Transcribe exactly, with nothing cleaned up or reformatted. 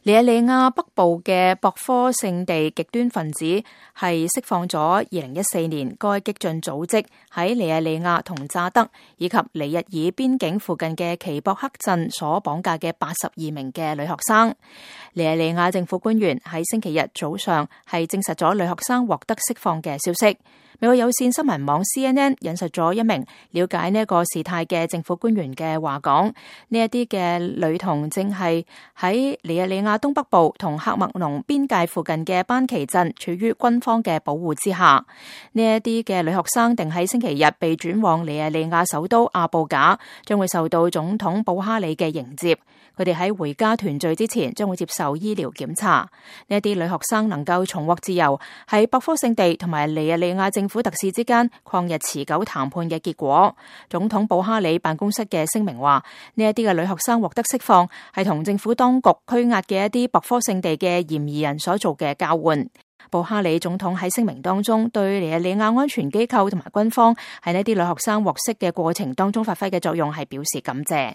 尼日利亞北部嘅博科聖地極端分子係釋放咗二零一四年該激進組織喺尼日利亞同乍得以及尼日爾邊境附近嘅奇博克鎮所綁架嘅八十二名嘅女學生。尼日利亞政府官員喺星期日早上係證實咗女學生獲得釋放嘅消息。美國有線新聞網 C N N 引述咗一名了解呢個事態嘅政府官員嘅話講，呢一啲嘅女童正係喺尼日利亞東北部同喀麥隆邊界附近嘅班奇鎮處於軍方嘅保護之下。呢一啲嘅女學生定喺星期日被轉往尼日利亞首都阿布賈，將會受到總統布哈里嘅迎接。佢哋喺回家團聚之前將會接受醫療檢查。呢一啲女學生能夠重獲自由，係博科聖地同埋尼日利亞政府特使之間曠日持久談判嘅結果。總統布哈里辦公室嘅聲明話，呢一啲嘅女學生獲得釋放係同政府當局拘押嘅一啲博科聖地嘅嫌疑人所做嘅交換。布哈里總統喺聲明當中對尼日利亞安全機構同埋軍方喺呢啲女學生獲釋嘅過程當中發揮嘅作用係表示感謝。